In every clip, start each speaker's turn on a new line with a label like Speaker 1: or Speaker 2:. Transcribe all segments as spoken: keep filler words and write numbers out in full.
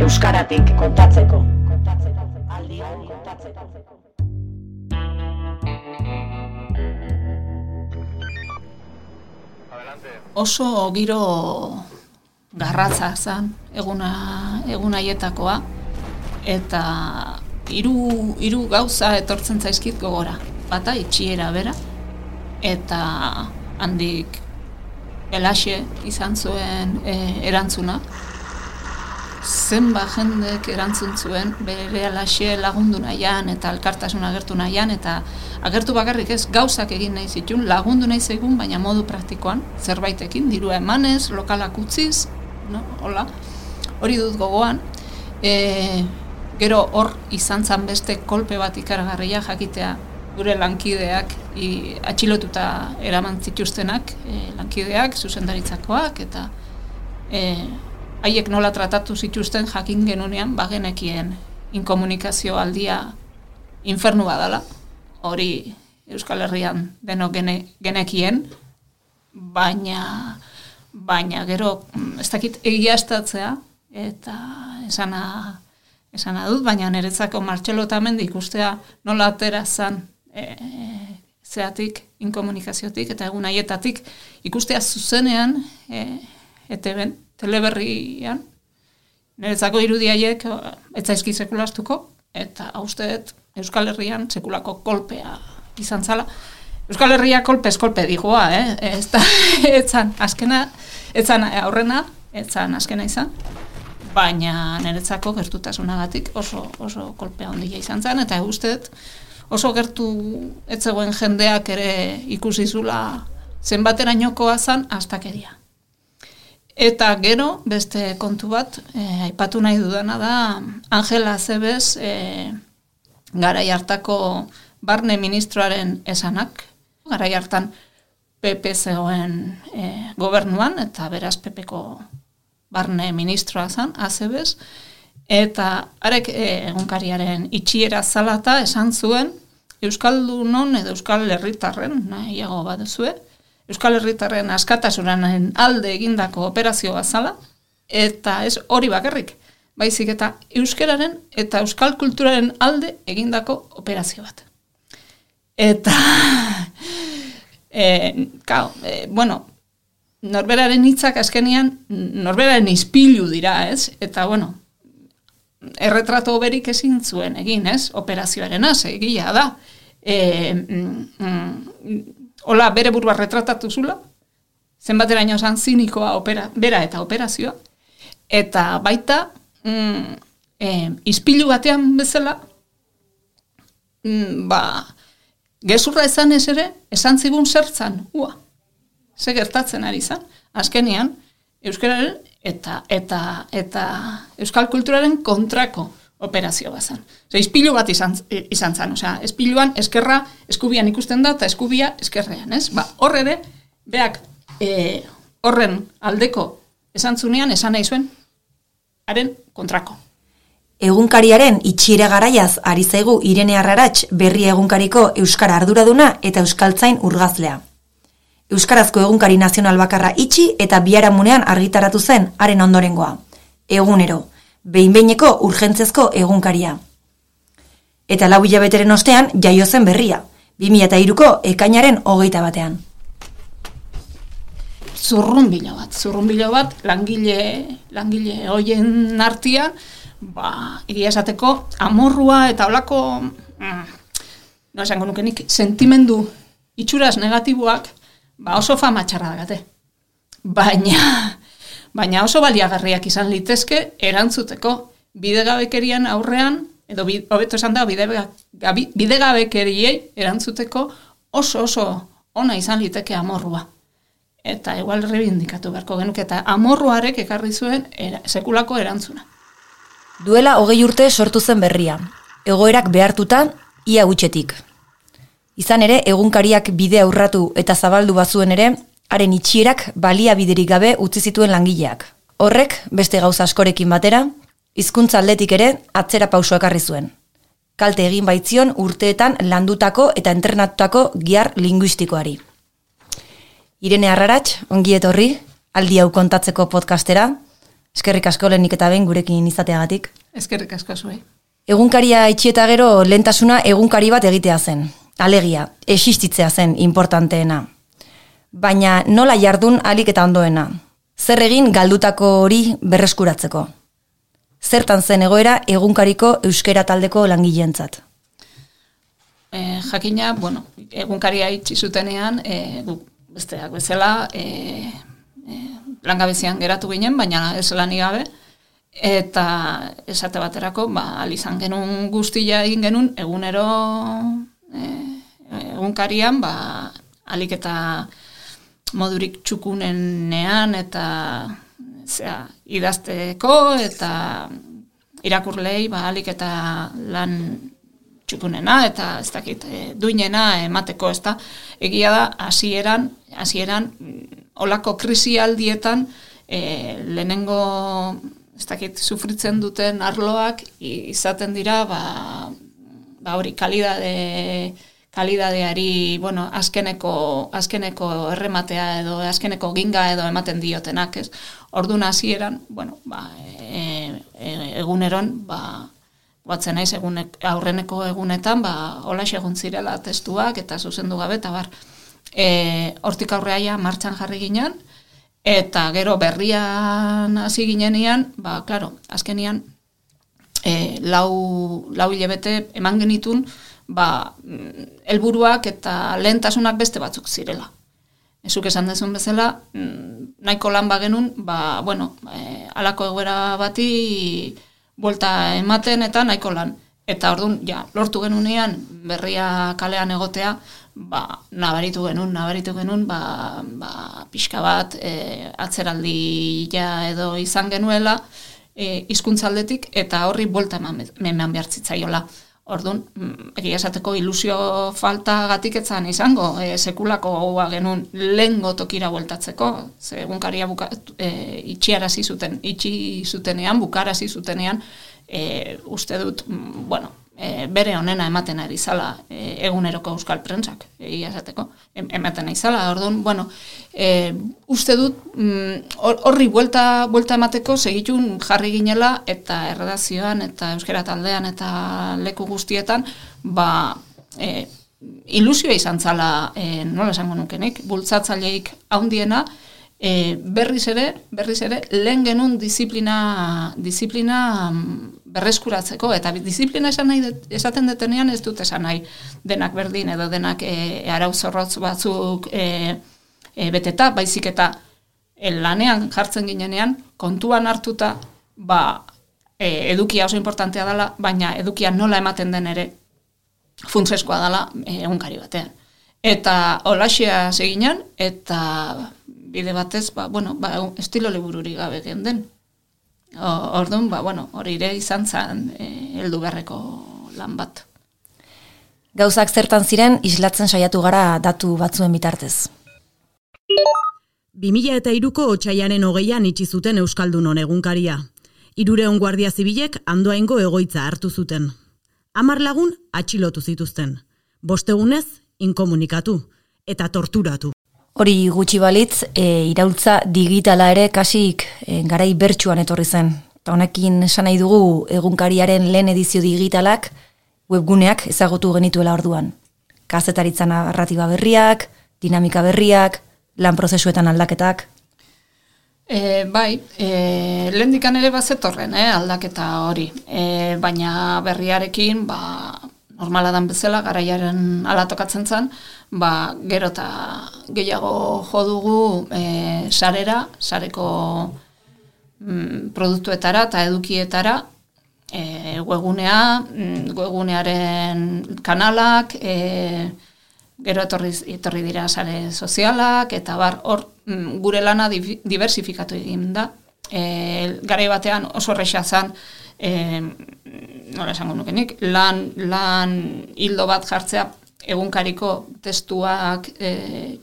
Speaker 1: euskaratik kontatzeko. Aldia kontatzeko.
Speaker 2: Oso giro garratza zen eguna egun haietakoa eta hiru hiru gauza etortzen zaizkit gogora. Bata itxiera bera eta handik Elaxe izan zuen e, erantzuna. Zenba jendek erantzun zuen bere Elaxe lagundu nahian eta elkartasun agertu nahian eta agertu bakarrik ez gauzak egin nahi zituen, lagundu nahi zegun, baina modu praktikoan, zerbaitekin, dirua emanez, lokalak utziz, no? Hola, hori dut gogoan. E, gero hor izan zan beste kolpe bat ikaragarria jakitea gure lankideak i, atxilotuta eraman zituztenak, e, lankideak, zuzendaritzakoak, eta e, haiek nola tratatu zituzten jakin genunean bagenekien inkomunikazio aldia infernu badala. Hori Euskal Herrian denok gene, genekien, baina, baina gero ez dakit egiaztatzea, eta esana, esana dut, baina niretzako Martxelo Otamendi ikustea nola atera zan e, zeatik, inkomunikaziotik, eta egun haietatik ikustea zuzenean, e, E T B-en, teleberrian, niretzako irudiaiek ez zaizki sekulastuko, eta hausteet Euskal Herrian sekulako kolpea izan zala. Euskal Herria kolpez kolpe digoa, eh? Ez da, etzan azkena, etzan aurrena, etzan azkena izan, baina niretzako gertutasunagatik oso, oso kolpea handia izan zen, eta usteet oso gertu etzegoen jendeak ere ikusi zula zenbaterainokoa zan astakeria. Eta gero, beste kontu bat, eh, aipatu nahi dudana da, Angela Acebes eh, garai hartako barne ministroaren esanak, garai hartan P P zegoen eh, gobernuan, eta beraz P P-ko barne ministroa zen, Acebes, eta arek eh, egunkariaren itxiera zalata esan zuen, Euskaldunon edo Euskal Herritarren, nahiago baduzue, Euskal Herritarren askatasunaren alde egindako operazio bazala, eta ez hori bakarrik, baizik eta euskararen eta euskal kulturaren alde egindako operazio bat. Eta, e, kao, e, bueno, norberaren hitzak azkenean, norberaren ispilu dira, ez? Eta, bueno, erretrato berik ezin zuen egin, ez? Operazioaren az, egia da. E, mm, mm, Hola, bere burua retratatu zula, zenbateraino zan zinikoa opera, bera eta operazioa, eta baita, mm, e, ispilu batean bezala, mm, ba, gezurra esan ez ere, esan zigun zertzan, ua, ze gertatzen ari zan, azkenean, euskararen eta, eta, eta euskal kulturaren kontrako operazio bazan. Osa, ispilu bat izan, izan zan, osea, espiluan eskerra eskubian ikusten da, eta eskubia eskerrean, ez? Ba, hor ere, beak e, horren aldeko esan zunean, esan nahi zuen, haren kontrako.
Speaker 3: Egunkariaren itxiera garaiaz ari zaigu Irene Arrarats berri egunkariko euskara arduraduna eta euskaltzain urgazlea. Euskarazko egunkari nazional bakarra itxi eta biharamunean argitaratu zen haren ondorengoa. Egunero. Behin-behineko urgentzezko egunkaria. Eta lau hilabeteren ostean jaio zen berria, bi mila hiruko ekainaren hogeita batean.
Speaker 2: Zurrunbilo bat, zurrunbilo bat, langile, langile hoien artean, ba, egia esateko, amorrua eta holako, mm, no esango nukenik, sentimendu itxuraz negatiboak, ba oso fama txarra dagate. Baina... Baina oso baliagarriak izan litezke erantzuteko bidegabekerian aurrean, edo hobeto esan da bidegabekeriei erantzuteko oso oso ona izan liteke amorrua. Eta igual rebindikatu beharko genuke, eta amorruarek ekarri zuen era, sekulako erantzuna.
Speaker 3: Duela hogei urte sortu zen berria, egoerak behartutan ia gutxetik. Izan ere, egunkariak bidea urratu eta zabaldu bazuen ere, haren itxierak baliabiderik gabe utzi zituen langileak. Horrek, beste gauza askorekin batera, hizkuntza aldetik ere atzera pauso ekarri zuen. Kalte egin baitzion urteetan landutako eta entrenatutako gihar linguistikoari. Irene Arrarats, ongi etorri, aldi hau kontatzeko podcastera. Eskerrik asko lehenik eta behin gurekin izateagatik.
Speaker 2: Eskerrik asko zuei.
Speaker 3: Egunkaria itxieta gero lehentasuna egunkari bat egitea zen. Alegia, existitzea zen importanteena. Baina nola jardun alik eta ondoena. Zer egin galdutako hori berreskuratzeko. Zertan zen egoera egunkariko euskera taldeko langileentzat.
Speaker 2: E, jakina, bueno, egunkaria itxi zutenean, e, gu, besteak bezala, e, e, langabezian geratu ginen, baina ez lani gabe, eta esate baterako, ba, alizan genuen guztia egin genuen, egunero e, egunkarian, ba, alik eta modurik txukunenean, eta zera, idazteko, eta irakurlei, ba, alik eta lan txukunena, eta ez dakit, e, duinena emateko, ez da, egia da, hasieran, hasieran, olako krisialdietan, e, lehenengo, ez dakit, sufritzen duten arloak, izaten dira, ba, ba hori, kalidade, kalidadeari, bueno, azkeneko, azkeneko errematea edo, azkeneko ginga edo ematen diotenak, ez? Orduan hasieran, bueno, ba, e, e, eguneron, ba, batzen naiz egunek, aurreneko egunetan, ba, holaxe egon zirela testuak eta zuzendu gabe, eta bar, e, hortik aurreaia martxan jarri ginen, eta gero berrian hasi ginenean, ba, klaro, azkenian, e, lau, lau hilabete eman genitun, ba, helburuak eta lehentasunak beste batzuk zirela. Ezuk esan dezun bezala, nahiko lan bagenun, ba, bueno, e, alako egoera bati buelta ematen eta nahiko lan. Eta orduan, ja, lortu genunean berria kalean egotea, ba, nabaritu genuen, nabaritu genuen, ba, ba, pixka bat e, atzeraldi ja edo izan genuela e, hizkuntzaldetik eta horri buelta eman, eman behar zitzaiola. Orduan, egia esateko ilusio faltagatik etzan izango, e, sekulako gogoa genuen lehengo tokira bueltatzeko, ze egunkaria buka, e, itxiarazi zuten, itxi zutenean, bukarazi zutenean, e, uste dut, bueno, e, bere honena ematen ari zala e, eguneroko euskal prentsak, egia esateko, ematen ari zala. Orduan, bueno, e, uste dut, horri mm, buelta, buelta emateko segitun jarri ginela, eta erredazioan, eta euskera taldean, eta leku guztietan, ba, e, ilusioa izan zala, e, nola esango nukenik, bultzatzaileik haundiena, e, berriz ere, berriz ere, lehen genuen disiplina, disiplina berreskuratzeko, eta disiplina esan nahi, esaten detenean ez dut esan nahi denak berdin, edo denak e, arau zorrotz batzuk e, e, beteta, baizik eta e, lanean jartzen ginenean, kontuan hartuta, ba, e, edukia oso importantea dela, baina edukia nola ematen den ere funtseskoa dela e, egunkari batean. Eta holaxea seginan, eta bide batez, ba, bueno, ba, estilo libururi gabe gen den. Orduan, ba, bueno, hori ere izan zen e, heldu beharreko lan bat.
Speaker 3: Gauzak zertan ziren islatzen saiatu gara datu batzuen bitartez.
Speaker 4: bi mila hiruko otsailaren hogeian itxi zuten Euskaldunon egunkaria. Hirurehun guardia zibilek Andoaingo egoitza hartu zuten. Hamar lagun atxilotu zituzten. Bostegunez inkomunikatu eta torturatu.
Speaker 3: Hori gutxi balitz, e, iraultza digitala ere kasik e, garai bertsuan etorri zen. Eta honekin esan nahi dugu egunkariaren lehen edizio digitalak webguneak ezagutu genituela orduan. Kazetaritza narratiba berriak, dinamika berriak, lan prozesuetan aldaketak.
Speaker 2: E, bai, e, lehendikan ere bazetorren, eh, aldaketa hori. E, baina berriarekin, ba, normala dan bezala, garaiaren ala tokatzen zen, ba, gero eta gehiago jo dugu e, sarera, sareko mm, produktuetara eta edukietara, e, webgunea, mm, webgunearen kanalak, e, gero etorri, etorri dira sare sozialak, eta bar, hor mm, gure lana diversifikatu egin da. E, garai batean oso erresa zen, e, nola esango nukenik, lan, lan hildo bat jartzea egunkariko testuak e,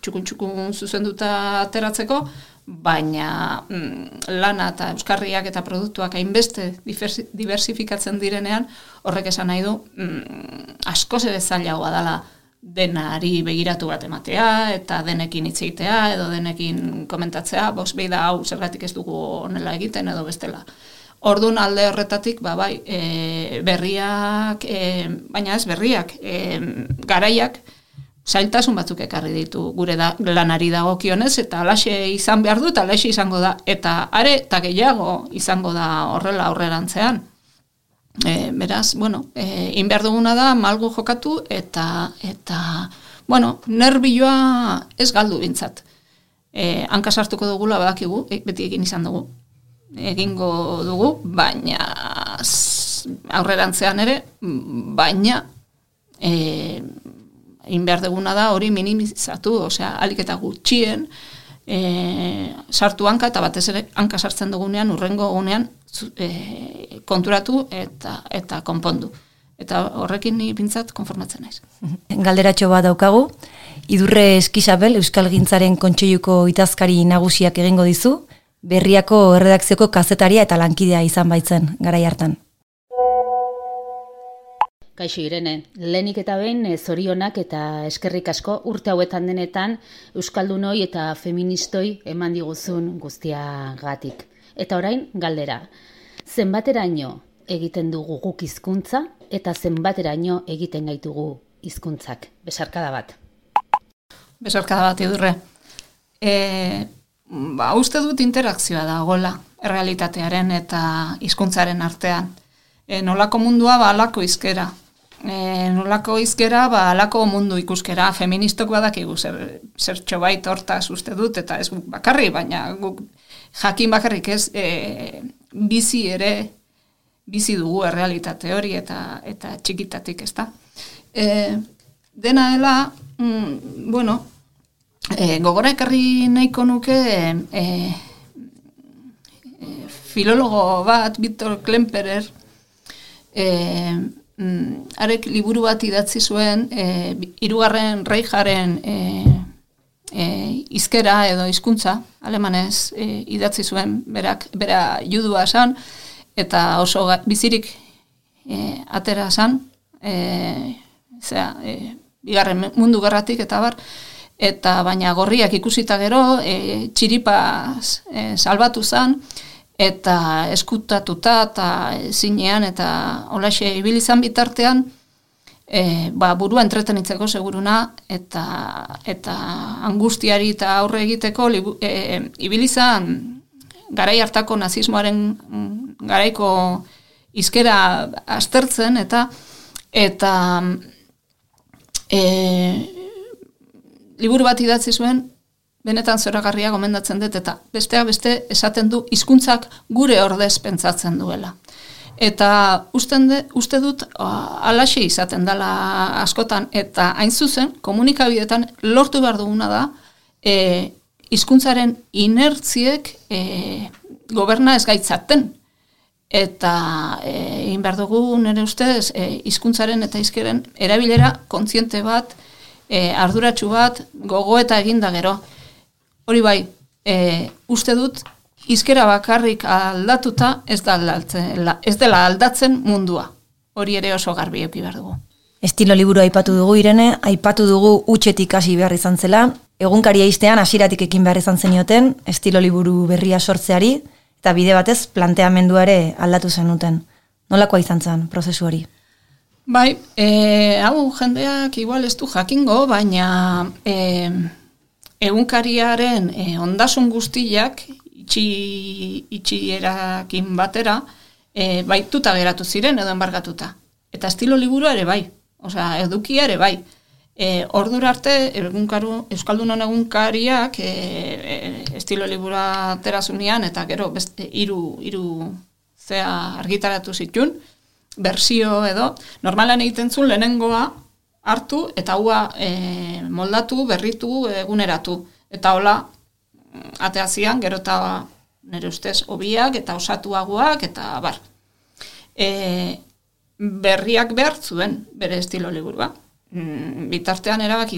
Speaker 2: txukun-txukun zuzenduta ateratzeko, baina mm, lana eta euskarriak eta produktuak hainbeste diversifikatzen direnean, horrek esan nahi du mm, askoz ere zailagoa dela denari begiratu bat ematea, eta denekin hitz egitea, edo denekin komentatzea, bos behi da hau zergatik ez dugu honela egiten edo bestela. Orduan alde horretatik, ba, bai, e, berriak, e, baina ez berriak, e, garaiak, zailtasun batzuk ekarri ditu gure da, lanari dagokionez, eta alaxe izan behar du, eta alaxe izango da, eta are, eta gehiago izango da horrela aurrerantzean. E, beraz, bueno, e, inbehar duguna da, malgu jokatu, eta, eta bueno, nervioa ez galdu bintzat. E, hanka sartuko dugula badakigu, e, beti egin izan dugu, egingo dugu, baina aurrerantzean ere, baina e, inbehar duguna da hori minimizatu, osea, alik eta gutxien, e, sartu hanka, eta batez ere hanka sartzen dugunean, urrengo gunean, E, konturatu eta eta konpondu. Eta horrekin ni pintzat konformatzen naiz.
Speaker 3: Galderatxo bat daukagu. Idurre Eskisabel, Euskalgintzaren Kontseiluko itazkari nagusiak egingo dizu, Berriako erredakzioko kazetaria eta lankidea izan baitzen garai hartan.
Speaker 5: Kaixo Irene, lehenik eta behin zorionak eta eskerrik asko urte hauetan denetan euskaldunoi eta feministoi eman diguzun guztiagatik. Eta orain, galdera, zenbateraino egiten dugu guk hizkuntza eta zenbateraino egiten gaitugu hizkuntzak? Besarkada bat.
Speaker 2: Besarkada bat, Idurre. E, ba, uste dut interakzioa dagoela errealitatearen eta hizkuntzaren artean. E, nolako mundua, ba, alako izkera. E, nolako izkera, ba, alako mundu ikuskera. Feministok badakigu zer, zertxo bait hortaz uste dut, eta ez bakarri, baina guk jakin bakarrik ez, e, bizi ere, bizi dugu errealitate hori eta eta txikitatik, ez da. E, dena dela, mm, bueno, e, gogora ekarri nahiko nuke e, e, filologo bat, Viktor Klemperer, e, mm, arek liburu bat idatzi zuen, e, hirugarren Reicharen e, E, izkera edo hizkuntza alemanez e, idatzi zuen, berak, bera judua esan, eta oso ga, bizirik e, atera esan, e, zera, e, bigarren mundu gerratik eta bar, eta baina gorriak ikusita gero, e, txiripaz e, salbatu zen, eta eskutatuta eta zinean, eta holaxe ibili izan bitartean, E, ba, burua entretenitzeko seguruna eta eta angustiari eta aurre egiteko libu, e, ibilizan garai hartako nazismoaren garaiko hizkera aztertzen eta eta e, liburu bat idatzi zuen benetan zoragarria gomendatzen dut eta besteak beste esaten du hizkuntzak gure ordez pentsatzen duela. Eta usten de, uste dut alaxe izaten dela askotan, eta hain zuzen, komunikabideetan lortu behar duguna da, e, hizkuntzaren inertziek e, goberna ez gaitzaten. Eta e, egin behar dugu nire ustez, e, hizkuntzaren eta hizkeren erabilera kontziente bat, e, arduratsu bat, gogo eta eginda gero. Hori bai, e, uste dut, hizkera bakarrik aldatuta ez, da aldatzen, ez dela aldatzen mundua. Hori ere oso garbi eduki behar dugu.
Speaker 3: Estilo liburu aipatu dugu, Irene, aipatu dugu hutsetik hasi behar izan zela, egunkaria iztean hasieratik ekin behar izan zenioten, estilo liburu berria sortzeari, eta bide batez planteamendua ere aldatu zenuten. Nolakoa izan zen prozesu hori?
Speaker 2: Bai, e, hau jendeak igual ez du jakingo, baina e, egunkariaren e, ondasun guztiak, itxi, itxierakin batera, e, baituta geratu ziren edo enbargatuta. Eta estilo liburua ere bai, osea, edukia ere bai. E, ordura arte, egunkaru, Euskaldunon egunkariak e, e, estilo liburua aterazunean, eta gero beste hiru hiru zea argitaratu zituen, bersio edo, normalan egiten zuen lehenengoa hartu, eta hua e, moldatu, berritu, eguneratu. Eta hola, ateazian, gero eta nire ustez hobiak eta osatuagoak eta bar. E, berriak behar zuen bere estilo liburua. Bitartean erabaki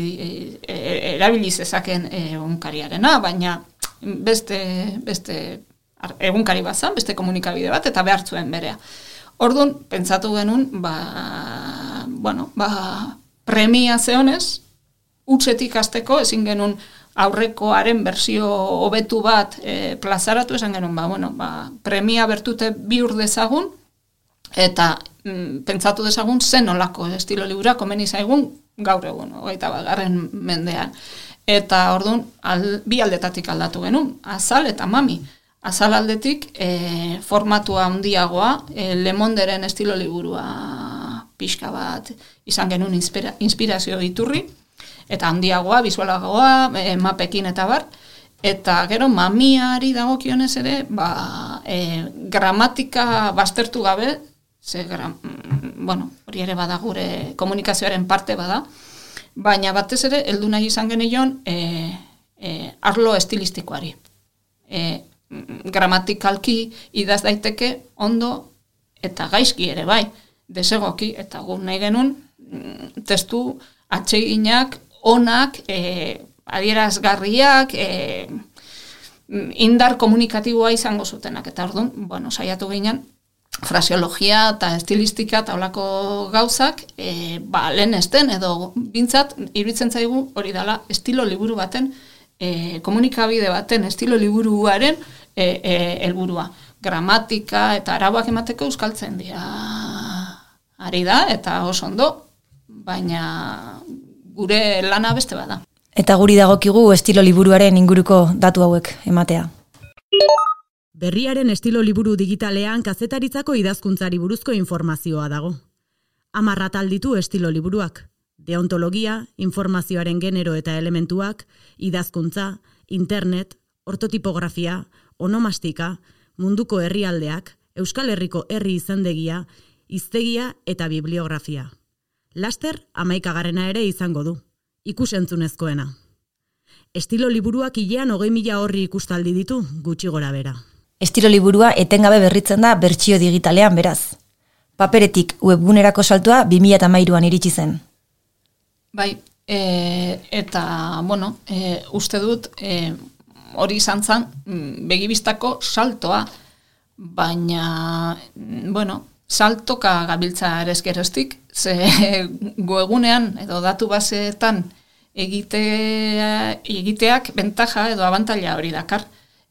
Speaker 2: e, erabiliz ezaken egunkariarena, baina beste, beste egunkari bat zan, beste komunikabide bat, eta behar zuen berea. Orduan, pentsatu genuen, ba, bueno, ba, premia zeonez, utzetik hasteko ezin genuen aurrekoaren bersio hobetu bat e, plazaratu, esan genuen, ba, bueno, ba, premia bertute bihur dezagun, eta mm, pentsatu dezagun zen olako estilo libura komeni zaigun gaur egun, hogeita bagarren mendean. Eta orduan, al, bi aldetatik aldatu genuen, azal eta mami. Azal aldetik e, formatua handiagoa, e, Le Monderen estilo liburua pixka bat izan genuen inspira, inspirazio iturri, eta handiagoa, bizualagoa, e, mapekin eta bar, eta gero mamiari dagokionez ere, ba, e, gramatika baztertu gabe, ze gra, bueno, hori ere bada gure komunikazioaren parte bada, baina batez ere, heldu nahi izan genion e, e, arlo estilistikoari. E, gramatikalki idaz daiteke ondo eta gaizki ere bai, desegoki, eta gu nahi genuen testu atseginak, onak, e, adierazgarriak, e, indar komunikatiboa izango zutenak, eta orduan, bueno, saiatu ginen, fraseologia eta estilistika eta olako gauzak, e, ba, lehen esten, edo bintzat, iruditzen zaigu hori dela estilo liburu baten, e, komunikabide baten estilo liburuaren e, e, helburua. Gramatika eta arauak emateko euskaltzen dira ari da, eta oso ondo, baina gure lana beste bada.
Speaker 3: Eta guri dagokigu estilo liburuaren inguruko datu hauek ematea.
Speaker 4: Berriaren estilo liburu digitalean kazetaritzako idazkuntzari buruzko informazioa dago. Hamar atal ditu estilo liburuak. Deontologia, informazioaren genero eta elementuak, idazkuntza, internet, ortotipografia, onomastika, munduko herrialdeak, Euskal Herriko herri izendegia, hiztegia eta bibliografia. Laster, hamaikagarrena ere izango du. Ikusentzunezkoena. Estilo liburuak hilean hogei mila horri ikustaldi ditu, gutxi gora bera.
Speaker 3: Estilo liburua etengabe berritzen da bertsio digitalean beraz. Paperetik webgunerako saltua bi mila hamairuan iritsi zen.
Speaker 2: Bai, e, eta, bueno, e, uste dut e, hori izan zen begibistako saltoa, baina, bueno, saltoka gabiltza erezkeroztik, ze goegunean edo datu baseetan egitea, egiteak bentaja edo abantaila hori dakar.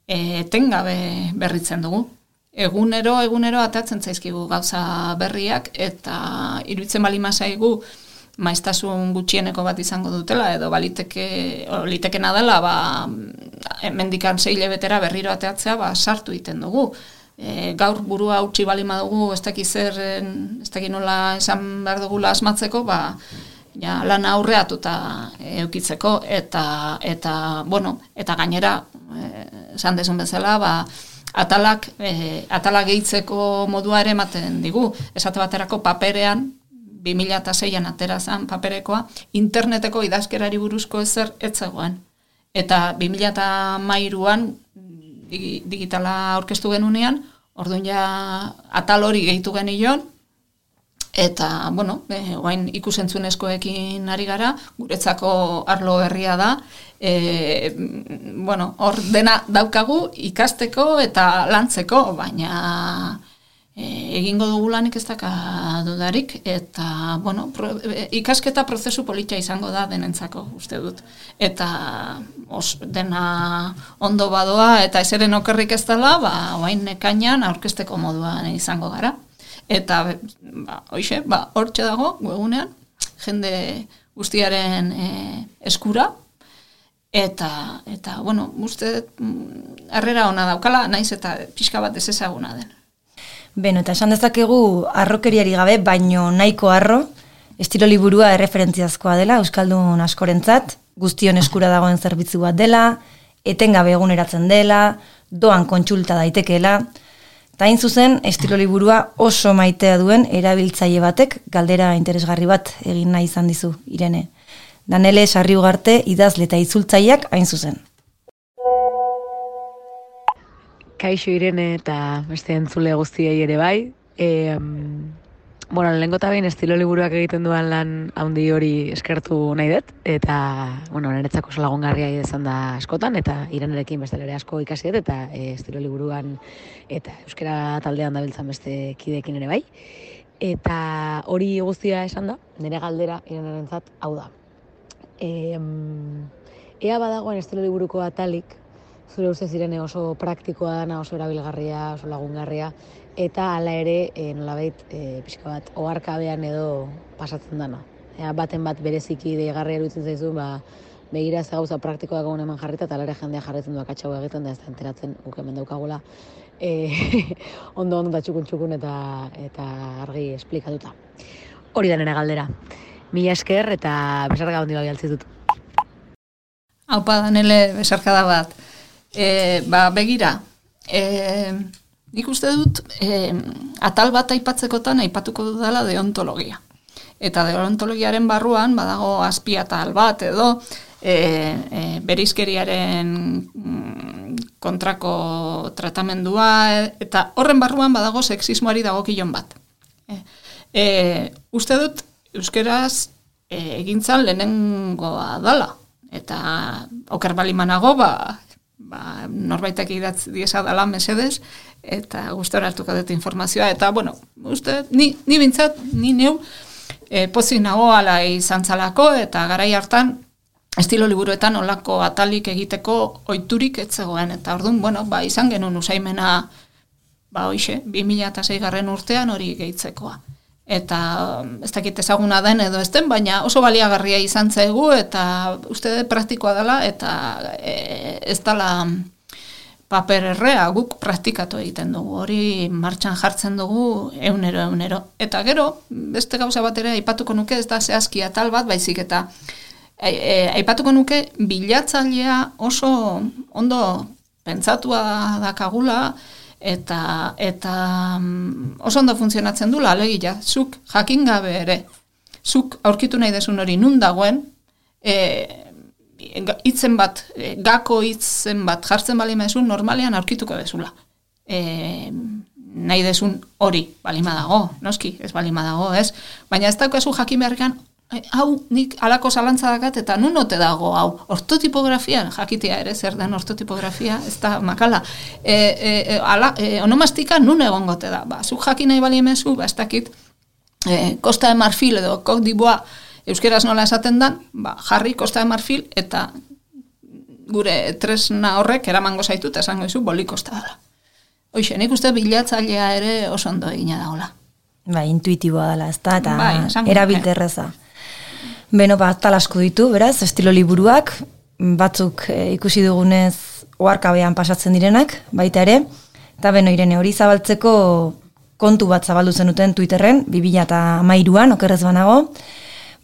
Speaker 2: Etengabe berritzen dugu. Egunero, egunero atatzen zaizkigu gauza berriak, eta iruditzen bali mazaigu maiztasun gutxieneko bat izango dutela, edo baliteke, litekena dela, ba, mendikan sei hilabetera berriro ateatzea, ba, sartu egiten dugu. E, gaur burua utzi bali madugu, ez dakit zer, ez dakit nola esan behar dugula asmatzeko, ba, ja, lana aurreatuta eukitzeko, eta, eta, bueno, eta gainera, esan desun bezala, ba, atalak, e, atalak gehitzeko modua ere ematen digu. Esate baterako paperean, bi mila seian atera zen paperekoa, interneteko idazkerari buruzko ezer etzegoen. Eta bi mila hamairuan digitala aurkeztu genunean, orduan ja atal hori gehitu genion, eta, bueno, e, oain ikusentzunezkoekin ari gara, guretzako arlo berria da, e, bueno, hor dena daukagu ikasteko eta lantzeko, baina e, egingo dugu lanik ez daka dudarik, eta, bueno, pro, e, ikasketa prozesu politia izango da denentzako, uste dut. Eta os, dena ondo badoa eta ezeren okerrik ez dela, ba, oain ekainan aurkezteko moduan izango gara. Eta, ba, hoxe, ba, hortxe dago, webgunean, jende guztiaren e, eskura, eta, eta, bueno, uste, harrera ona daukala, naiz eta pixka bat ezezaguna den.
Speaker 3: Beno, eta esan dezakegu harrokeriari gabe, baino nahiko harro, estilo liburua erreferentziazkoa dela, euskaldun askorentzat, guztion eskura dagoen zerbitzu bat dela, etengabe eguneratzen dela, doan kontsulta daitekeela, eta hain zuzen, estilo liburua oso maitea duen erabiltzaile batek galdera interesgarri bat egin nahi izan dizu, Irene. Danele Sarri Ugarte idazle eta itzultzaileak hain zuzen.
Speaker 6: Kaixo Irene eta beste entzule guztiei ere bai. E, bueno, lehenko eta behin estilo liburuak egiten duan lan handi hori eskertu nahi dut, eta, bueno, niretzako oso lagungarria izan da askotan, eta Irenerekin beste ere asko ikasi dut, eta e, estilo liburuan eta euskara taldean dabiltzan beste kideekin ere bai. Eta hori guztia esan da, nire galdera Irenerentzat hau da. E, ea badagoen estilo liburuko atalik, zure ustez Irene oso praktikoa dana, oso erabilgarria, oso lagungarria, eta hala ere, e, nolabait, e, pixka bat, oharkabean edo pasatzen dana. Ea baten bat bereziki deigarria iruditzen zaizu, ba, begira ze gauza praktikoak egun eman jarrita, eta ere jendea jarretzen du akatxau egiten, da ez da enteratzen guk hemen daukagula, e, ondo ondo eta txukun txukun eta, eta argi esplikatuta. Hori da nire galdera. Mila esker eta besarka handi bai altzitut.
Speaker 2: Haupa Danele besarkada bat. E, ba, begira, e, nik uste dut e, atal bat aipatzekotan aipatuko dudala deontologia. Eta deontologiaren barruan badago azpiatal bat edo e, e, bereizkeriaren kontrako tratamendua eta horren barruan badago sexismoari dagokilon bat. E, e, uste dut euskeraz e, egintzan lehenengoa dala. Eta oker balimanago, ba, ba, norbaitek idatz diesa dala mesedez, eta gustora hartuko dut informazioa. Eta, bueno, uste, ni, ni bintzat, ni neu, e, pozik nago ala izan zalako, eta garai hartan, estilo liburuetan olako atalik egiteko oiturik etzegoen. Eta orduan, bueno, ba, izan genuen usaimena, ba, hoxe, bi mila sei garren urtean hori gehitzekoa. Eta ez dakit ezaguna den edo ez den, baina oso baliagarria izan zaigu eta uste praktikoa dela eta e, ez dela paper errea guk praktikatu egiten dugu. Hori martxan jartzen dugu eunero eunero. Eta gero, beste gauza bat ere aipatuko nuke, ez da zehazki atal bat, baizik eta e, e, aipatuko nuke bilatzailea oso ondo pentsatua dakagula, eta eta oso ondo funtzionatzen dula, alegia, zuk jakin gabe ere, zuk aurkitu nahi desun hori nun dagoen, e, hitzen bat, e, gako hitzen bat jartzen bali maizun, normalean aurkituko dezula. E, nahi desun hori, balima dago, noski, ez balima dago, ez? Baina ez daukazu jakin beharrean, hau nik alako zalantza dakat eta nun ote dago hau. Ortotipografian, jakitea ere zer den ortotipografia, ez da makala. E, e, ala, e, onomastika nun egongote da. Ba, zuk jakin nahi bali emezu, ba, ez dakit, e, Costa de Marfil edo Côte d'Ivoire euskeraz nola esaten dan, ba, jarri Costa de Marfil eta gure tresna horrek eramango zaitu eta esango izu boli Costa dela. Hoxe, nik uste bilatzailea ere oso ondo egina dagoela.
Speaker 3: Ba, intuitiboa dela, ez da, eta
Speaker 2: bai,
Speaker 3: erabilterreza. Beno, ba, tal asko ditu, beraz, estilo liburuak, batzuk e, ikusi dugunez oharkabean pasatzen direnak, baita ere, eta beno, Irene, hori zabaltzeko kontu bat zabaldu zenuten Twitterren, bi mila hamairuan, okerrez banago,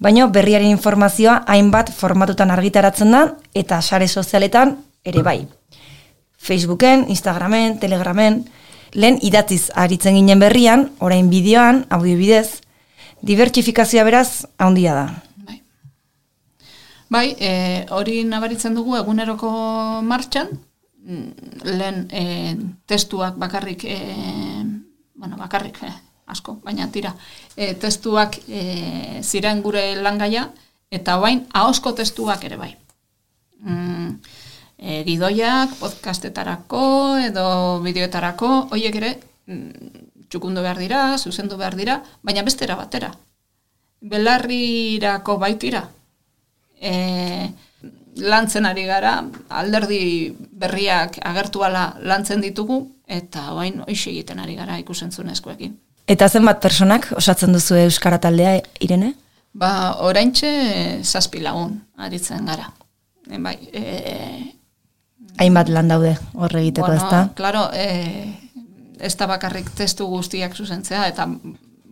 Speaker 3: baina berriaren informazioa hainbat formatutan argitaratzen da, eta sare sozialetan ere bai. Facebooken, Instagramen, Telegramen, lehen idatziz aritzen ginen berrian, orain bideoan, audio bidez, dibertsifikazioa beraz, handia da.
Speaker 2: Bai, e, hori nabaritzen dugu eguneroko martxan, lehen e, testuak bakarrik, e, bueno, bakarrik, e, asko, baina tira, e, testuak e, ziren gure langaia, eta bain, ahozko testuak ere bai. Mm, e, gidoiak, podcastetarako, edo bideoetarako, horiek ere, mm, txukundu behar dira, zuzendu behar dira, baina bestera batera. Belarrirako baitira. E, lantzen ari gara, alderdi berriak agertuala lantzen ditugu, eta oain hoxe egiten ari gara ikusentzunezkoekin.
Speaker 3: Eta zenbat personak osatzen duzu Euskara taldea, Irene?
Speaker 2: Ba, oraintxe zazpi lagun aritzen gara. E, bai, e,
Speaker 3: hainbat lan daude horre egiteko,
Speaker 2: bueno,
Speaker 3: ez da?
Speaker 2: Claro, e, ez da bakarrik testu guztiak zuzentzea, eta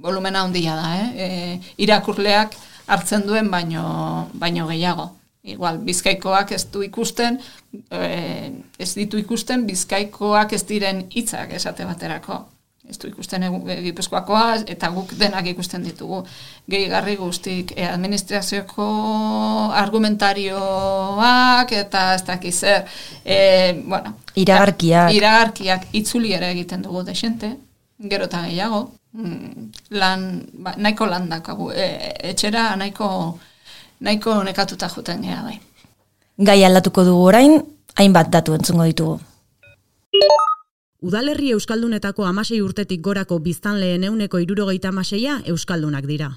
Speaker 2: volumena handia da, eh? E, irakurleak hartzen duen baino, baino gehiago. Igual, bizkaikoak ez du ikusten, e, ez ditu ikusten, bizkaikoak ez diren hitzak esate baterako. Ez du ikusten Gipuzkoakoa, eta guk denak ikusten ditugu. Gehigarri guztik, e, administrazioko argumentarioak, eta ez dakiz zer. E, bueno,
Speaker 3: iragarkiak.
Speaker 2: Iragarkiak itzuli ere egiten dugu desente, gero eta gehiago. Lan, ba, nahiko lan dakagu, e, etxera nahiko, nahiko nekatuta juten gara bai.
Speaker 3: Gai aldatuko dugu orain, hainbat datu entzungo ditugu.
Speaker 4: Udalerri euskaldunetako hamasei urtetik gorako biztanleen ehuneko hirurogeita hamaseia euskaldunak dira.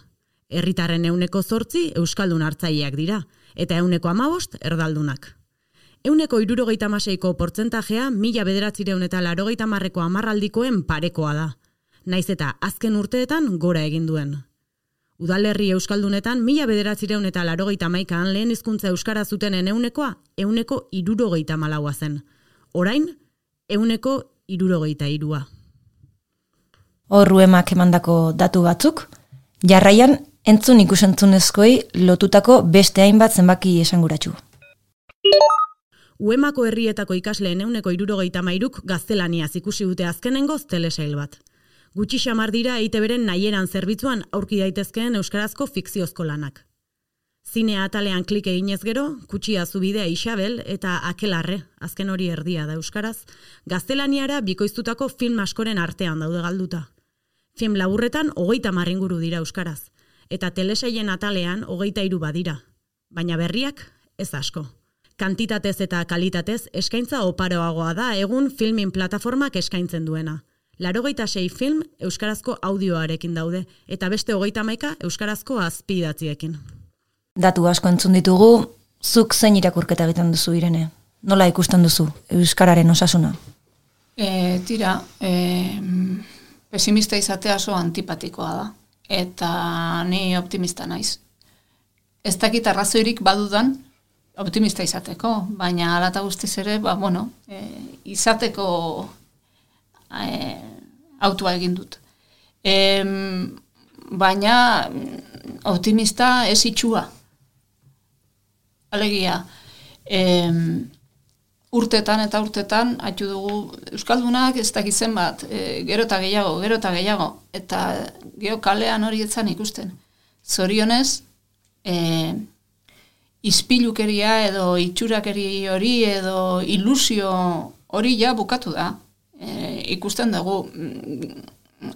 Speaker 4: Herritarren ehuneko zortzi euskaldun hartzaileak dira, eta ehuneko hamabost erdaldunak. Ehuneko hirurogeita hamaseiko portzentajea mila bederatziehun eta laurogeita hamarreko hamarraldikoen parekoa da, naiz eta azken urteetan gora egin duen. Udalerri euskaldunetan mila bederatziehun eta laurogeita hamaikaan lehen hizkuntza euskara zutenen ehunekoa ehuneko hirurogeita hamalaua zen. Orain, ehuneko hirurogeita hirua.
Speaker 3: Hor Uemak emandako datu batzuk, jarraian entzun ikusentzunezkoei lotutako beste hainbat zenbaki esanguratsu.
Speaker 4: Uemako herrietako ikasleen ehuneko hirurogeita hamairuk gaztelaniaz ikusi dute azkenengoz telesail bat. Gutxi xamar dira E I Te Beren nahieran zerbitzuan aurki daitezkeen euskarazko fikziozko lanak. Zinea atalean klik eginez gero, Kutxia Zubidea Isabel eta Akelarre, azken hori erdia da euskaraz, gaztelaniara bikoiztutako film askoren artean daude galduta. Film laburretan hogeita hamar inguru dira euskaraz, eta telesailen atalean hogeita hiru badira, baina berriak ez asko. Kantitatez eta kalitatez eskaintza oparoagoa da egun filmin plataformak eskaintzen duena. Laurogeita sei film euskarazko audioarekin daude, eta beste hogeita hamaika euskarazko azpidatziekin.
Speaker 3: Datu asko entzun ditugu, zuk zein irakurketa egiten duzu, Irene? Nola ikusten duzu euskararen osasuna?
Speaker 2: E, tira, e, pesimista izatea oso antipatikoa da, eta ni optimista naiz. Ez dakit arrazoirik badudan optimista izateko, baina hala eta guztiz ere, ba, bueno, e, izateko e, autua egin dut. E, baina optimista ez itxua. Alegia, e, urtetan eta urtetan, haitu dugu euskaldunak ez dakitzen bat, e, gero eta gehiago, gero eta gehiago, eta gero kalean hori etzan ikusten. Zorionez, e, izpilukeria edo itxurakeri hori edo ilusio hori ja bukatu da. E, ikusten dugu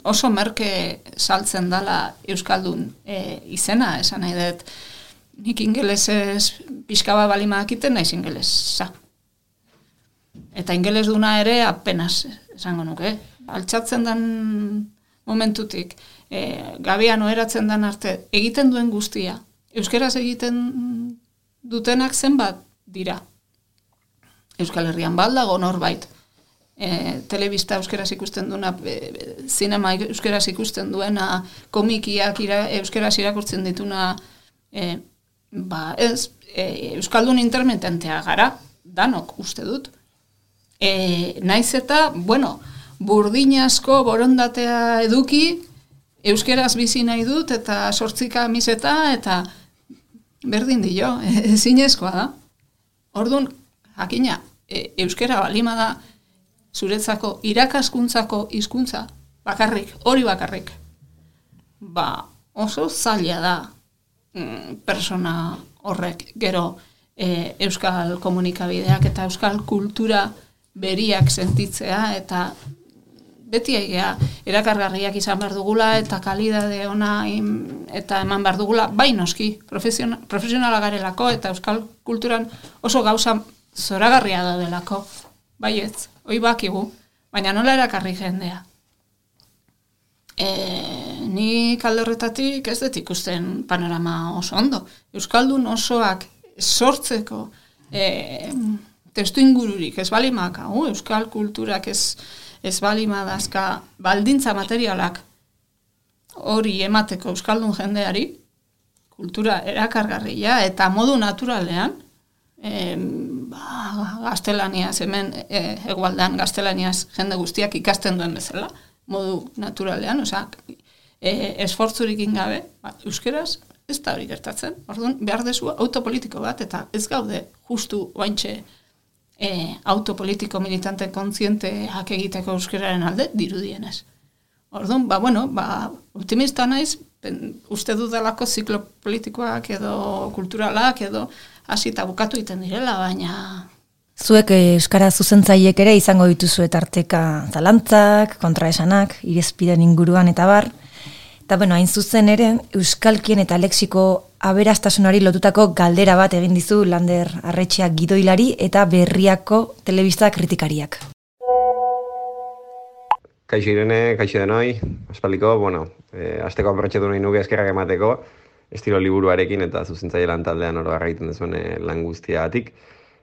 Speaker 2: oso merke saltzen dala euskaldun e, izena, esan nahi dut, nik ingelesez pixka bat balimadakiten naiz ingelesa. Eta ingeles duna ere apenas, esango nuke. Altxatzen den momentutik, e, gabian oheratzen den arte, egiten duen guztia, euskeraz egiten dutenak zenbat dira. Euskal Herrian baldago norbait, e, telebista euskeraz ikusten duena, e, zinema euskeraz ikusten duena, komikiak ira, euskeraz irakurtzen dituna, e, ba ez, e, euskaldun intermitentea gara, danok uste dut. E, naiz eta, bueno, burdinazko borondatea eduki, euskeraz bizi nahi dut, eta sortzika miseta, eta berdin dio, ezinezkoa da. Orduan, jakina, e, euskera balima da, zuretzako irakaskuntzako hizkuntza bakarrik, hori bakarrik. Ba, oso zaila da mm, persona horrek gero e, euskal komunikabideak eta euskal kultura beriak sentitzea, eta beti egea erakargarriak izan behar dugula eta kalidade ona im, eta eman behar dugula, bai noski, profesionala, profesionala garelako eta euskal kulturan oso gauza zoragarria daudelako, bai ez, hoi bakigu, baina nola erakarri jendea. E, ni kalde horretatik ez dut ikusten panorama oso ondo. Euskaldun osoak sortzeko e, testu ingururik ez balimaka, uh, euskal kulturak ez, ez balimadazka baldintza materialak hori emateko euskaldun jendeari, kultura erakargarria eta modu naturalean, e, ba, gaztelaniaz, hemen e, egualdan gaztelaniaz jende guztiak ikasten duen bezala, modu naturalean, osea, e, esfortzurik ingabe, ba, euskeraz ez da hori gertatzen. Orduan, behar dezu autopolitiko bat, eta ez gaude justu oaintxe e, autopolitiko militante kontzienteak egiteko euskeraren alde, dirudienez. Orduan, ba, bueno, ba, optimista naiz, ben, uste dudalako ziklo politikoak edo kulturalak edo hasi eta bukatu egiten direla, baina...
Speaker 3: Zuek euskara zuzentzaiek ere izango dituzu tarteka zalantzak, kontraesanak, irezpiden inguruan eta bar. Eta bueno, hain zuzen ere, euskalkien eta lexiko aberastasunari lotutako galdera bat egin dizu Lander Arretxea gidoilari eta Berriako telebista kritikariak.
Speaker 7: Kaixo Irene, kaixo denoi, aspaldiko, bueno, e, asteko aprotxetu nahi nuke eskerrak emateko, estilo liburuarekin eta zuzentzaile lan taldean oro egiten duzuen lan guztiagatik.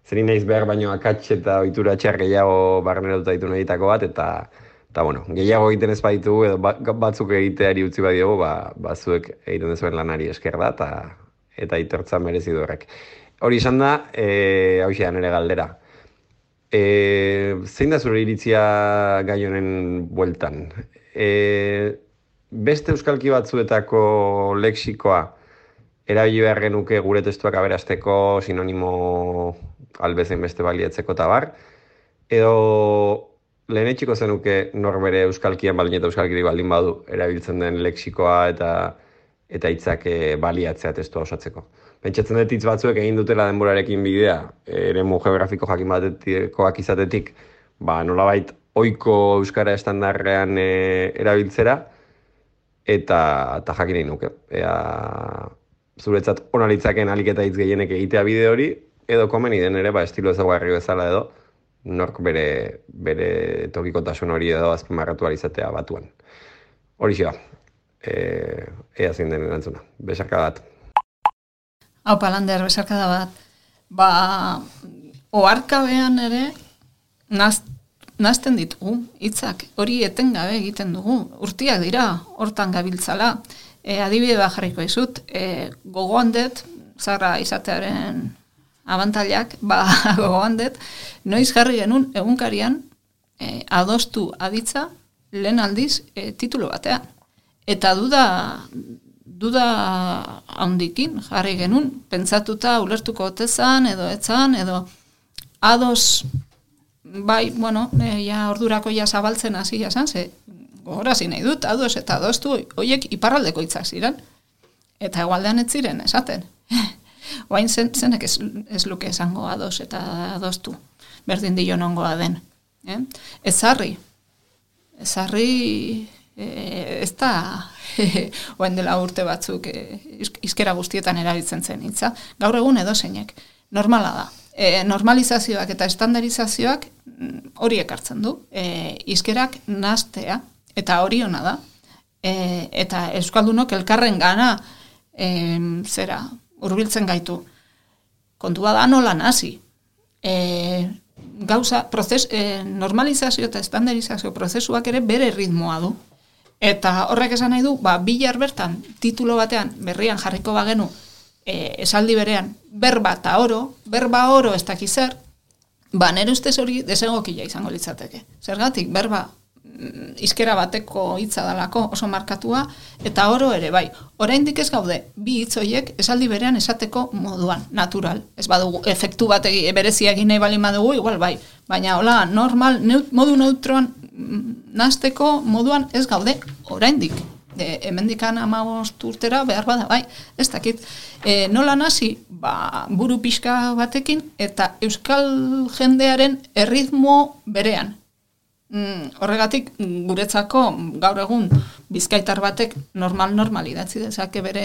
Speaker 7: Zerin naiz behar baino akats eta ohitura txar gehiago barneratuta ditu nahitako bat, eta, eta bueno, gehiago egiten ez baditu, edo batzuk egiteari utzi badiogu, ba, bazuek egiten duzuen lanari esker da, eta, eta itortza merezi du horrek. Hori izan da, e, hau xean ere galdera. E, zein da zure iritzia gai honen bueltan? E, beste euskalki batzuetako lexikoa erabili behar genuke gure testuak aberasteko, sinonimo albezen beste baliatzeko eta bar, edo lehenetxiko zenuke norbere euskalkian baldin eta euskalkiri baldin badu erabiltzen den lexikoa eta eta hitzak baliatzea testua osatzeko. Pentsatzen dut hitz batzuek egin dutela denborarekin bidea, eremu geografiko jakin batekoak izatetik, ba, nolabait ohiko euskara estandarrean e, erabiltzera, eta, eta jakin nahi nuke. Ea, zuretzat ona litzaken ahalik eta hitz gehienek egitea bide hori, edo komeni den ere, ba, estilo ezaguarri bezala edo, nork bere, bere tokikotasun hori edo azpimarratu izatea batuan. Hori xea, e, ea zein den erantzuna. Besarka bat.
Speaker 2: Hau Lander, besarkada bat. Ba, oharkabean ere, naz, nazten ditugu, hitzak hori etengabe egiten dugu. Urtiak dira, hortan gabiltzala. E, adibide bat jarriko izut, e, gogoan dut, zarra izatearen abantailak, ba, gogoan dut, noiz jarri genuen egunkarian e, adostu aditza lehen aldiz e, titulu batean. Eta duda, duda handikin jarri genuen, pentsatuta ulertuko otezan, edo etzan, edo ados, bai, bueno, e, ja ordurako ja zabaltzen hasi jasan, ze gogorazi nahi dut, ados eta adostu, horiek iparraldeko hitzak ziren, eta egualdean ez ziren, esaten. Oain zen, zenek ez, ez luke esango ados eta adostu, berdin dio nongoa den. Eh? Ezarri, ezarri e, ez da, oain dela urte batzuk e, izkera guztietan erabiltzen zen hitza, gaur egun edo zeinek, normala da. E, normalizazioak eta estandarizazioak hori ekartzen du, e, izkerak nahastea, eta hori ona da, e, eta euskaldunok elkarren gana e, zera, hurbiltzen gaitu. Kontua da nola nasi. E, gauza, proces, e, normalizazio eta estandarizazio prozesuak ere bere ritmoa du. Eta horrek esan nahi du, ba, bilar bertan, titulo batean, berrian jarriko bagenu, e, esaldi berean, berba eta oro, berba oro ez dakizer, ba, nire ustez hori desegokila izango litzateke. Zergatik, berba izkera bateko hitza dalako oso markatua, eta oro ere bai. Oraindik ez gaude, bi hitz horiek esaldi berean esateko moduan, natural. Ez badugu, efektu bat egi, berezia egin nahi balin badugu, igual bai. Baina hola, normal, neut, modu neutroan nahasteko moduan ez gaude oraindik. E, hemendikan hamabost urtera behar bada, bai, ez dakit. E, nola nasi, ba, buru pixka batekin, eta euskal jendearen erritmo berean. Mm, horregatik guretzako gaur egun bizkaitar batek normal-normal idatzi dezake bere,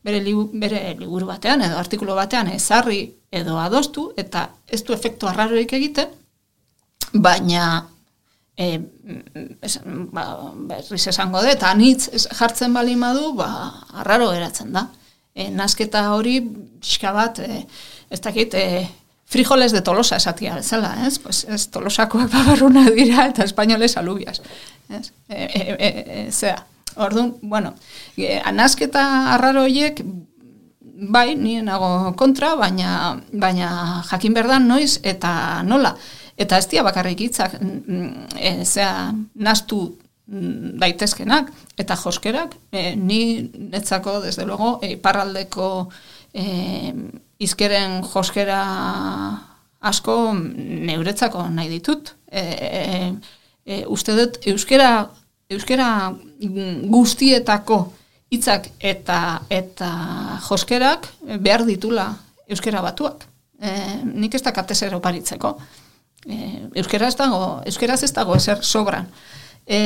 Speaker 2: bere, libu, bere liburu batean edo artikulu batean ezarri edo adostu eta ez du efektu arraroik egiten, baina e, es, ba, berriz esango dut, anitz jartzen balin badu, ba, arraro geratzen da. E, nasketa hori pixka bat, e, ez dakit, e, frijoles de Tolosa esatia bezala, ez? Pues ez Tolosakoak babarruna dira eta espainoles alubias. Ez? E, e, e, e, zera, orduan, bueno, e, nasketa arraro horiek, bai, nien nago kontra, baina, baina jakin berdan noiz eta nola. Eta ez dia bakarrik hitzak, e, zera, nastu daitezkenak, eta joskerak, e, ni netzako, desde luego, e, parraldeko e, izkeren joskera asko neuretzako nahi ditut. E, e, e, uste dut, euskera, euskera guztietako hitzak eta, eta joskerak behar ditula euskera batuak. E, nik ez dakat ezer oparitzeko. E, euskera ez dago, euskeraz ez dago ezer sobran. E,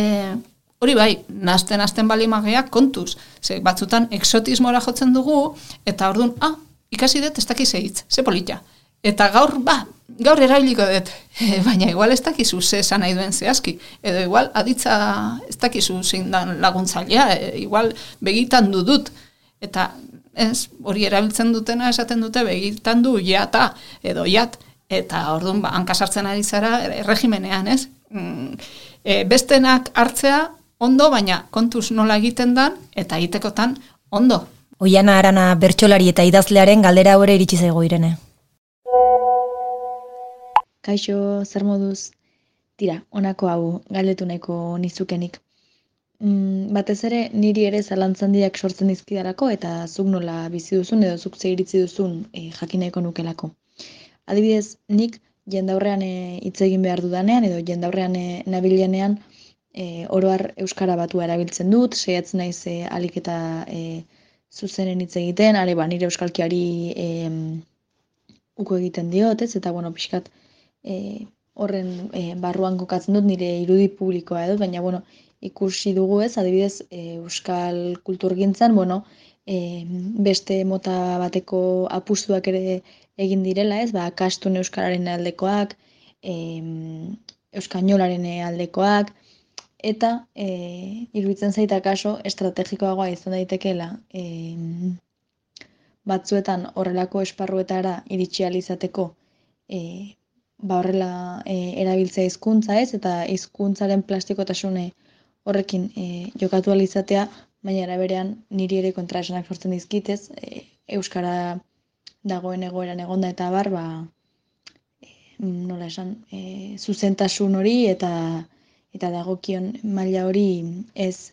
Speaker 2: hori bai, nazten nazten balimageak kontuz. Ze batzutan exotismora jotzen dugu, eta orduan, ah, ikasi dut ez dakiz hitz, ze polita. Eta gaur, ba, gaur erabiliko dut, baina igual ez dakizu ze esan nahi duen zehazki, edo igual aditza ez dakizu zein dan laguntzailea, igual begitan du dut, eta ez, hori erabiltzen dutena esaten dute begitan du jata, edo jat, eta orduan ba, hankasartzen ari zara erregimenean, ez? Mm, e, bestenak hartzea ondo, baina kontuz nola egiten dan, eta egitekotan ondo.
Speaker 3: Oiana Arana bertsolari eta idazlearen galdera hori iritsi zaigu Irene.
Speaker 8: Kaixo, zer moduz? Tira, honako hau galdetu nahiko nizukenik. Mm, batez ere, niri ere zalantzan diak sortzen dizkidalako eta zuk nola bizi duzun edo zuk ze iritzi duzun e, jakin nahiko nukelako. Adibidez, nik jendaurrean hitz e, egin behar dudanean edo jendaurrean e, nabilenean e, oroar euskara batua erabiltzen dut, saiatzen naiz e, alik eta e, zuzenen hitz egiten, are ba, nire euskalkiari e, uko egiten diot, ez? Eta bueno, pixkat E, horren e, barruan kokatzen dut nire irudi publikoa edo, baina bueno, ikusi dugu ez, adibidez e, euskal kulturgintzan, bueno, e, beste mota bateko apustuak ere egin direla ez, ba, kastun euskararen aldekoak, e, euskainolaren aldekoak, eta e, iruditzen zaita kaso estrategikoagoa izan daitekeela e, batzuetan horrelako esparruetara iritsi ahal izateko e, ba horrela e, erabiltzea hizkuntza ez, eta hizkuntzaren plastikotasune horrekin e, jokatu ahal izatea, baina eraberean niri ere kontraesanak sortzen dizkitez, e, euskara dagoen egoeran egonda eta bar, ba, e, nola esan, e, zuzentasun hori eta eta dagokion maila hori ez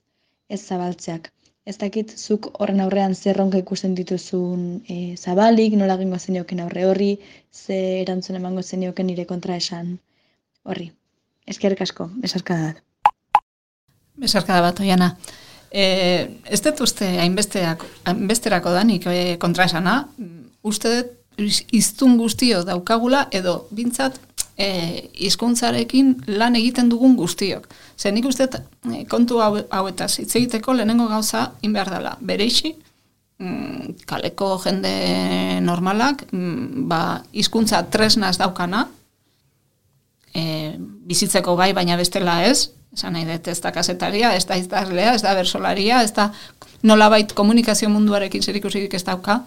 Speaker 8: ez zabaltzeak. Ez dakit zuk horren aurrean zer ronka ikusten dituzun e, zabalik, nola egingo zenioken aurre horri, ze erantzun emango zenioken nire kontraesan horri. Eskerrik asko, besarkada bat.
Speaker 2: Besarkada bat, Oiana. E, ez dut uste hainbesteak, hainbesterako danik e, kontraesana, uste dut hiztun guztio daukagula edo bintzat E, hizkuntzarekin lan egiten dugun guztiok. Zer nik uste e, kontu hau, hauetaz hitz egiteko lehenengo gauza inbehar dela. Bereixi, mm, kaleko jende normalak, mm, ba, hizkuntza tresnaz daukana, e, bizitzeko bai, baina bestela ez, esan nahi dut ez da kasetaria, ez da idazlea, ez da bersolaria, ez da nolabait komunikazio munduarekin zerikusirik ez dauka,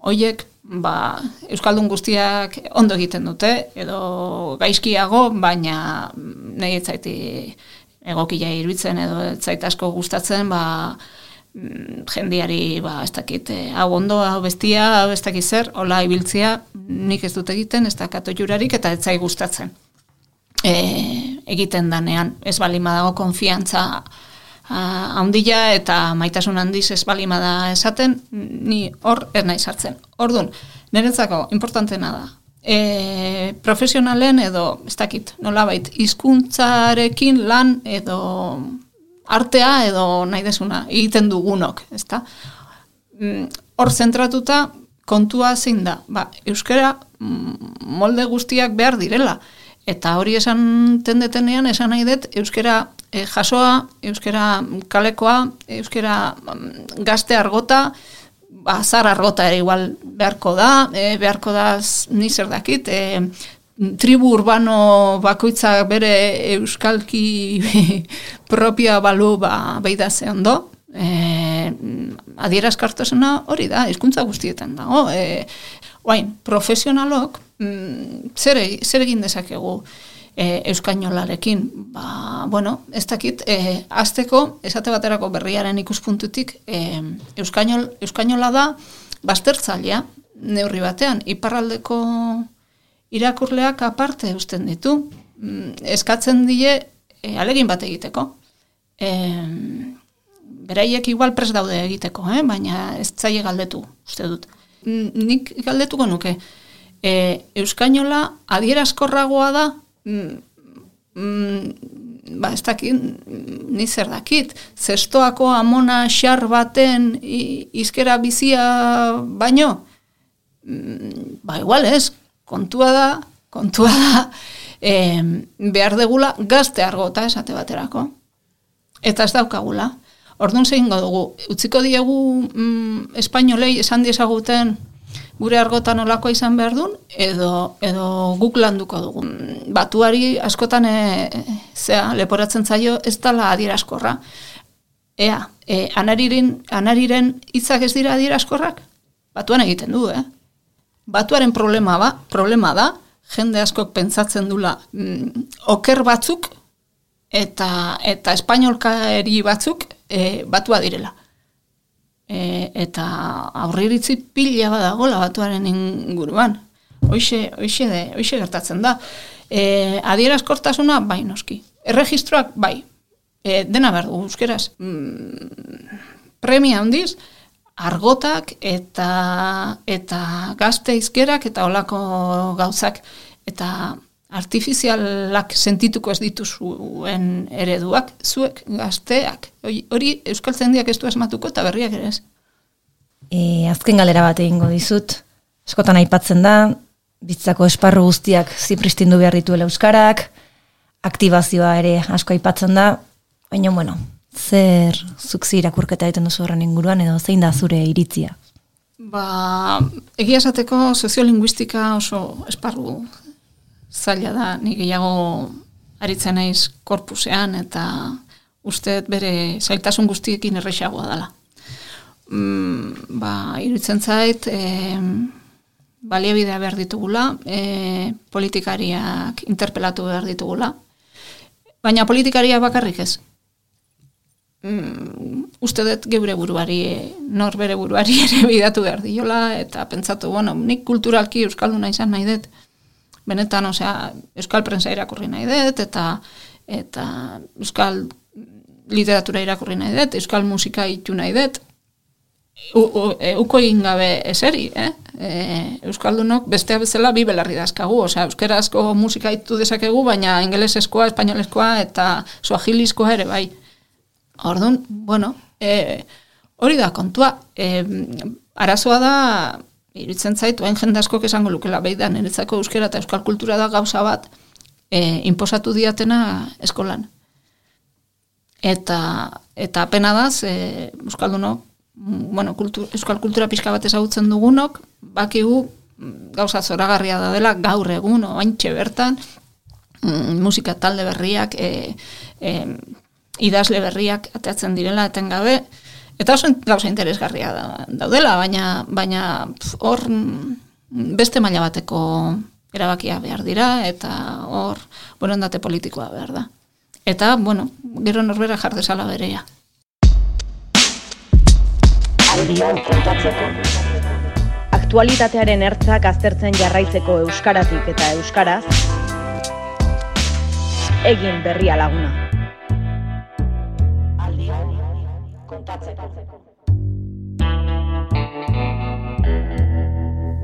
Speaker 2: hoiek ba, euskaldun guztiak ondo egiten dute, edo gaizkiago, baina nahi ez zaiti egokia iruditzen, edo ez zait asko gustatzen, ba, jendiari, ba, ez dakit, hau ondo, hau bestia, hau ez dakit zer, hola ibiltzia, nik ez dut egiten, ez da katoiurarik, eta ez zait gustatzen. E, egiten danean, ez balima dago konfiantza handia eta maitasun handiz ez balima da esaten, ni hor ez nahi sartzen. Orduan, niretzako importantena da. E, profesionalen edo, ez dakit, nolabait, hizkuntzarekin lan edo artea edo nahi desuna egiten dugunok, ezta? Hor zentratuta kontua zein da, ba, euskara molde guztiak behar direla. Eta hori esan tendetenean, esan nahi dut, euskara e, jasoa, euskara kalekoa, euskara gazte argota, ba, zar argota ere igual beharko da, e, beharko da ni zer dakit, e, tribu urbano bakoitza bere euskalki propioa balu ba, beida ze ondo, e, adierazkartasuna hori da, hizkuntza guztietan dago. E, oain, profesionalok, Zer, zer egin dezakegu e, euskainolarekin? Ba, bueno, ez dakit, e, azteko, esate baterako berriaren ikuspuntutik, e, euskainol, euskainola da baztertzailea, neurri batean, iparraldeko irakurleak aparte eusten ditu, eskatzen die e, alegin bat egiteko. E, beraiek igual pres daude egiteko, eh? Baina ez zaie galdetu, uste dut. Nik galdetuko nuke, E, euskainola adierazkorragoa da, mm, mm, ba ez dakit, ni zer dakit, zestoako amona xar baten izkera bizia baino, mm, ba igual ez, kontua da, kontua da, e, behar degula gazte argota esate baterako, eta ez daukagula. Orduan zein dugu, utziko diegu mm, espainolei esan diezaguten, gure argotan olakoa izan behar duen, edo, edo guk landuko dugu. Batuari askotan e, zea, leporatzen zaio ez dala adieraskorra. Ea, e, anariren, anariren hitzak ez dira adieraskorrak? Batuan egiten du, eh? Batuaren problema, ba, problema da, jende askok pentsatzen dula mm, oker batzuk eta, eta espainolkari batzuk e, batua direla. E, eta aurriritzi pila badagola batuaren inguruan. Hoixe, hoixe, de, hoixe gertatzen da. E, adierazkortasuna, bai noski. Erregistroak, bai. E, dena behar du, euskeraz. Mm, premia handiz, argotak eta, eta gazte izkerak eta olako gauzak. Eta artifizialak sentituko ez dituzuen ereduak, zuek gazteak. Hori euskaltzaindiak ez du asmatuko eta berriak ere ez.
Speaker 3: E, azken galera bat egingo dizut. Askotan aipatzen da, bizitzako esparru guztiak zipristindu behar dituela euskarak, aktibazioa ere asko aipatzen da, baina bueno, zer zuk zi irakurketa egiten duzu horren inguruan edo zein da zure iritzia?
Speaker 2: Ba, egia esateko soziolinguistika oso esparru zaila da, ni gehiago aritzen naiz korpusean eta uste bere zailtasun guztiekin errexagoa dela. Mm, ba, iruditzen zait, e, baliabidea behar ditugula, e, politikariak interpelatu behar ditugula, baina politikariak bakarrik ez. Mm, uste dut geure buruari, nor bere buruari ere bidatu behar diola, eta pentsatu, bueno, nik kulturalki euskalduna izan nahi dut, benetan, osea, euskal prensa irakurri nahi dut, eta, eta euskal literatura irakurri nahi dut, euskal musika itu nahi dut, uko egin gabe eseri, eh? E, euskaldunok bestea bezala bi belarri dazkagu, osea, euskerazko musika itu dezakegu, baina ingelesezkoa, espainolezkoa, eta suahilizkoa ere, bai. Orduan, bueno, e, hori da kontua, e, arazoa da, iruditzen zait, oain jende askok esango lukela, behi da, niretzako euskera eta euskal kultura da gauza bat, e, inposatu diatena eskolan. Eta, eta pena da, e, euskaldunok, bueno, kultur, euskal kultura pixka bat ezagutzen dugunok, bakigu gauza zoragarria da dela, gaur egun, oaintxe bertan, mm, musika talde berriak, e, e, idazle berriak ateatzen direla etengabe, eta oso gauza interesgarria da, daudela, baina baina hor beste maila bateko erabakia behar dira, eta hor borondate politikoa behar da. Eta, bueno, gero norbera jar dezala berea.
Speaker 9: Aktualitatearen ertzak aztertzen jarraitzeko euskaratik eta euskaraz, egin berria laguna.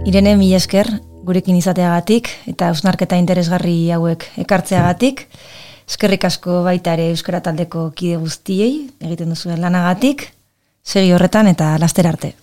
Speaker 3: Irene, mila esker gurekin izateagatik eta hausnarketa interesgarri hauek ekartzeagatik. Eskerrik asko baita ere euskara taldeko kide guztiei egiten duzuen lanagatik. Segi horretan eta laster arte.